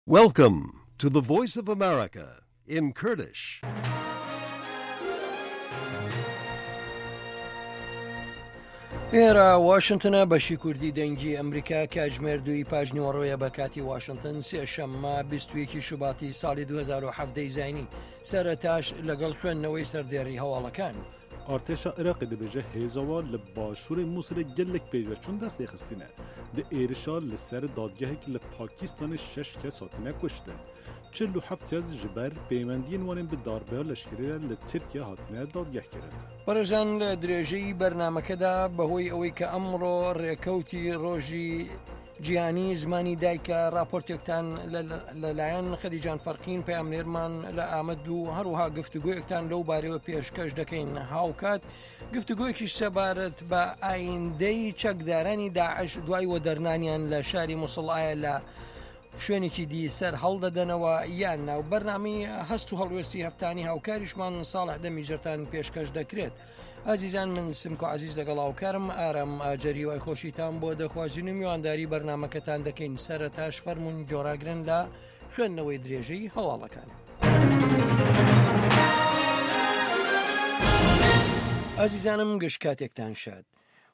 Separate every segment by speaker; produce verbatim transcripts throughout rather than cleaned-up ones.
Speaker 1: Welcome to the Voice of America in Kurdish.
Speaker 2: ئێرە واشنگتنە، بەشی کوردی دەنگی ئەمریکا، کاتژمێر دووی پاژنیوەڕۆیە بە کاتی واشنگتن، سێشەممە بیست و یەک شوباتی ساڵی دوو هەزار و حەڤدە زایینی. سەرەتاش لەگەڵ خوێندنەوەی سەردێڕی هەواڵەکان.
Speaker 3: ئارتێشا عێراقی دەبێژە هێزەوە لە باشووری مووسڵێ gelek pêşveçûn dest lêxistîne. Di êrişa li ser dadgehek li Pakistanê şeş kes hatine kuştin. Çil û heft kes ji ber peywendiyên wan ên bi darbeya leşkerî re li Tirkiye hatine dadgehkirin.
Speaker 2: بەڕێزان لە درێژەی بەرنامەکەدا بەهۆی ئەوەی کە ئەمڕۆ ڕێکەوتی ڕۆژی جیهانی زمانی دایکە، راپۆرتێکتان لەلایەن خەدیجان فەرقین پەیامنێرمان لە ئامەد و هەروەها گفتوگۆیەکتان لەو بارەوە پێشکەش دەکەین. هاوکات گفتوگۆیەکی سەبارەت بە ئایندەی چەکدارانی داعش دوای وەدەرنانیان لە شاری موسڵ ئایا لە شوێنێکی دی سەر هەڵدەدەنەوە یان ناو. بەرنامەی هەست و هەڵوێستی هەفتانی هاوکاریشمان ساڵح دەمیجەرتان پێشکەش دەکرێت. ئازیزان، من سمکۆ عزیز لەگەڵ هاوکارم ئارام ئاجەری وای خۆشیتان بۆ دەخوازین و میوانداری بەرنامەکەتان دەکەین. سەرەتاش فەرمونون جۆراگرن لە خوێندنەوەی درێژەی هەواڵەکان. ئازیزانم، گشت کاتێکتان شاد.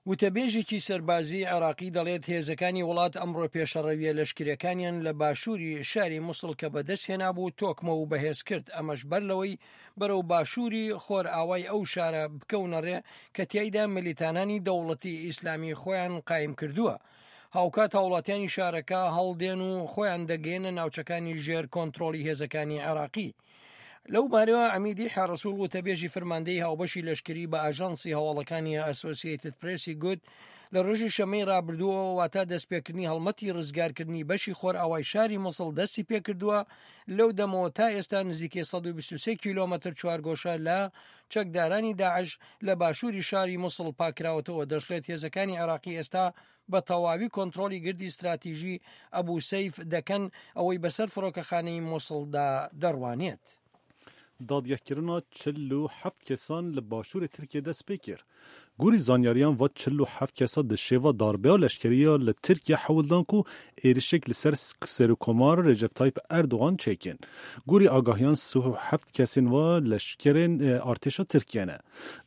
Speaker 2: وتەبێژێکی سەربازی عێراقی دەڵێت هێزەکانی وڵات ئەمڕۆ پێشەڕەویە لەشکرەکانیان لە باشووری شاری موسڵ کە بەدەست هێنابوو تۆکمە و بەهێز کرد، ئەمەش بەر لەوەی بەرەو باشووری خۆرئاوای ئەو شارە بکەونەڕێ کە تیایدا ملیتانانی دەوڵەتی ئیسلامی خۆیان قایم کردووە. هاوکات هاوڵاتیانی شارەکە هەڵدێن و خۆیان دەگەێنە ناوچەکانی ژێر کۆنترۆڵی هێزەکانی عێراقی. لەو بارەوە عەمیدی حەڕەسوڵ وتەبێژی فەرماندەی هاوبەشی لەشکری بە ئاژانسی هەواڵەکانی ئەسۆسیەتد پرێسی گوت لە ڕۆژی شەمەی ڕابردووە واتا دەستپێکردنی هەڵمەتی ڕزگارکردنی بەشی خۆرئاوای شاری موسڵ دەستی پێکردووە. لەو دەمەوە تا ئێستا نزیکەی سەد و بیست و سێ کیلۆمەتر چوارگۆشە لە چەکدارانی داعش لە باشووری شاری موسڵ پاکراوەتەوە. دەشڵێت هێزەکانی عێراقی ئێستا بە تەواوی کۆنترۆڵی گردی استراتیژی ئەبوو سەیف دەکەن، ئەوەی بەسەر فڕۆکەخانەی موسڵدا دەڕوانێت.
Speaker 3: دادگەکردنا چل و هەفت کەسان لە باشووری تورکیا دەست پێ کرد. گوری زانیاریان و چل و هەفت کەسا di şêva darbeya leşkeriya li Tirkiye hewl dan ku êrişek li ser Serokkomar Recep Tayyip Erdogan çêkin. Gorî agahiyan sih û heft kesên wa leşkerên artêşa Tirkiye ne.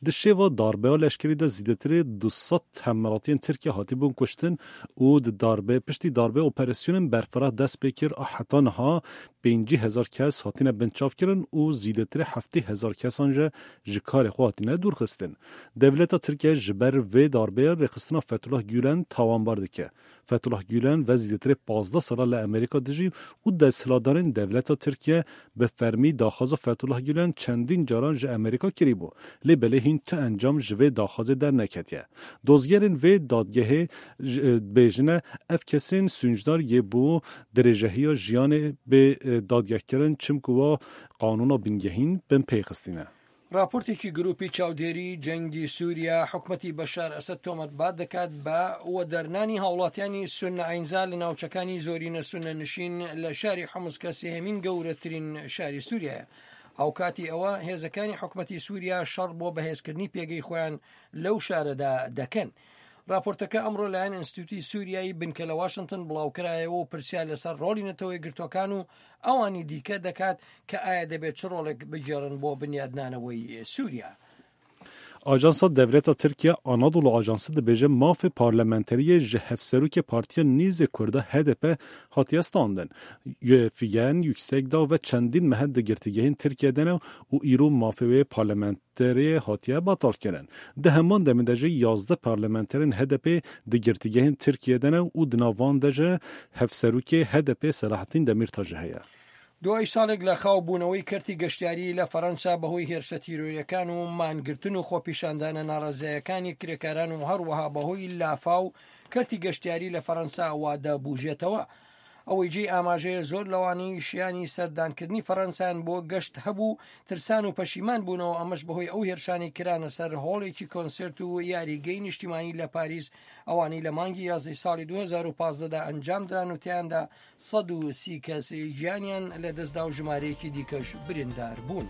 Speaker 3: Di şêva darbeya leşkerî de zêdetirê du sed hemwelatiyên Tirkiye hatibûn kuştin û di darbe piştî darbe operasyonên berfireh dest pê kir a heta niha pêncî hezar kes hatine binçavkirin û zêdetirê heftê hezar kesan jî ji karê xwe hatine dûrxistin. Dewleta Tirkiye ji ber vê darbeya rêxistina Fethullah Gülen tawanbar dike. Fethullah Gülen ve zêdetirê pazdeh sala li Amerîka dijî û desthilatdarên dewleta Tirkiye bi fermî daxwaza Fethullah Gülen çendîn caran ji Amerîka kirîbû. Lê belê hîn tu encam ji vê daxwazê derneketiye. Dozgerên vê dadgehê bêjine ev kesên sûncdar yê bû dirêjehiya jiyanê bê dadgehkirin çimku wa qanûna bingehîn bin pêxistîne.
Speaker 2: راپۆرتێکی گروپی چاودێری جەنگی سووریا حکومەتی بەشار ئەسەد تۆمەتبار دەکات بە وەدەرنانی هاوڵاتیانی سونە ئاینزا لە ناوچەکانی زۆرینە سونە نشین لە شاری حمس کە سێهەمین گەورەترین شاری سووریایە. هاوکاتی ئەوە هێزەکانی حکومەتی سووریا شەڕ بۆ بەهێزکردنی پێگەی خۆیان لەو شارەدا دەکەن. راپۆرتەکە ئەمڕۆ لایەن ئینستیتوتی سووریایی بنکە لە واشنگتن بڵاوکرایەوە و پرسیار لەسەر ڕۆڵی نەتەوەی گرتوەکان و ئەوانی دیکە دەکات کە ئایا دەبێت چ ڕۆڵێک بگێڕن بۆ بنیادنانەوەی سووریا.
Speaker 3: Ajansa Dewleta Tirkiye Anadolu Ajansı dibêje mafê parlamenteriyê ji hevserokê Partiya Nîzê Kurda H D P hatiye standin. Figen Yüksekdağ ve çendîn mehe di girtîgehên Tirkiye'de ne û îro mafê wê parlamenteriyê hatiye betalkirin. Di heman demê de jî yazdeh parlamenterên H D P di girtîgehên Tirkiye'de ne û di nav de jî hevserokê H D P Selahattin Demirtaş heye.
Speaker 2: دوای ساڵێک لە خاو بوونەوەی کەرتی گەشتیاری لە فەرەنسا بەهۆی هێرشە تیرۆریەکان و مانگرتن و خۆپیشاندانە ناڕەزایەکانی کرێکاران و هەروەها بەهۆی لافا و کەرتی گەشتیاری لە فەرەنسا وادەبوژێتەوە. ئەوەی جێی ئاماژەیە زۆر لەوانەی شیانی سەردانکردنی فەرەنسایان بۆ گەشت هەبوو ترسان و پەشیمان بوونەوە، ئەمەش بەهۆی ئەو هێرشانی کرانە سەر هۆڵێکی کۆنسێرت و یاریگەی نیشتیمانی لە پاریس، ئەوانەی لە مانگی یازدەی ساڵی دوو هەزار و پازدەدا ئەنجام دران و تیاندا سەد و سی کەس گیانیان لەدەستدا و ژمارەیەکی دیکەش بریندار بوون.